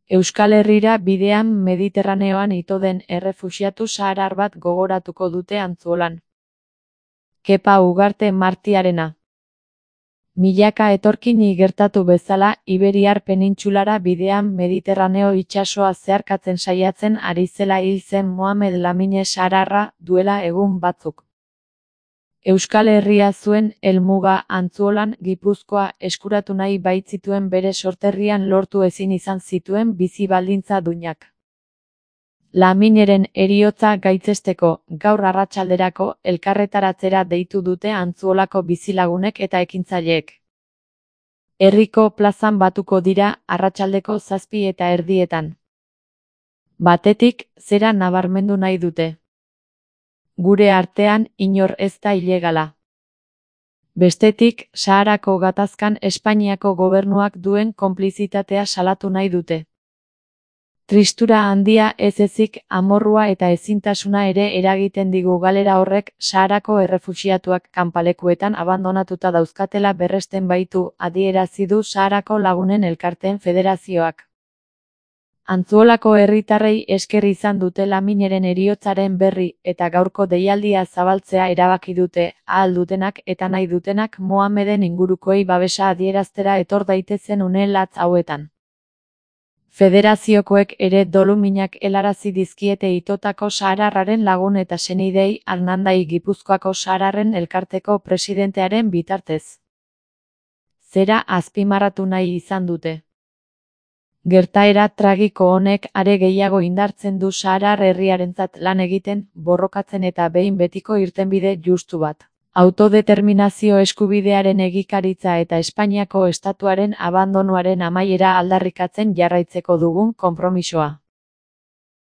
Euskal Herrira bidean Mediterraneoan ito den errefuxiatu saharar bat gogoratuko dute Antzuolan. Kepa Ugarte Martiarena. Milaka etorkini gertatu bezala, Iberiar penintsulara bidean Mediterraneo itsasoa zeharkatzen saiatzen ari zela hil zen Mohamed Lamine sahararra duela egun batzuk. Euskal Herria zuen helmuga Antzuolan, Gipuzkoa eskuratu nahi baitzituen bere sorterrian lortu ezin izan zituen bizi baldintza duinak. Lamineren heriotza gaitzesteko, gaur arratsalderako elkarretaratzera deitu dute Antzuolako bizilagunek eta ekintzaileek. Herriko plazan batuko dira arratsaldeko 7:30. Batetik, zera nabarmendu nahi dute. Gure artean inor ez da ilegala. Bestetik, Saharako gatazkan Espainiako gobernuak duen konplizitatea salatu nahi dute. Tristura handia ez ezik, amorrua eta ezintasuna ere eragiten digu galera horrek Saharako errefuxiatuak kanpalekuetan abandonatuta dauzkatela berresten baitu, adierazi du Saharako Lagunen Elkarteen Federazioak. Antzuolako herritarrei esker izan dute Lamineren heriotzaren berri eta gaurko deialdia zabaltzea erabaki dute, ahal dutenak eta nahi dutenak Mohameden ingurukoei babesa adieraztera etor daitezen une latz hauetan. Federaziokoek ere doluminak helarazi dizkiete itotako sahararraren lagun eta senidei Arnandai Gipuzkoako Sahararren Elkarteko presidentearen bitartez. Zera azpimarratu nahi izan dute. Gertaera tragiko honek are gehiago indartzen du saharar herriarentzat lan egiten, borrokatzen eta behin betiko irtenbide justu bat. Autodeterminazio eskubidearen egikaritza eta Espainiako estatuaren abandonuaren amaiera aldarrikatzen jarraitzeko dugun konpromisoa.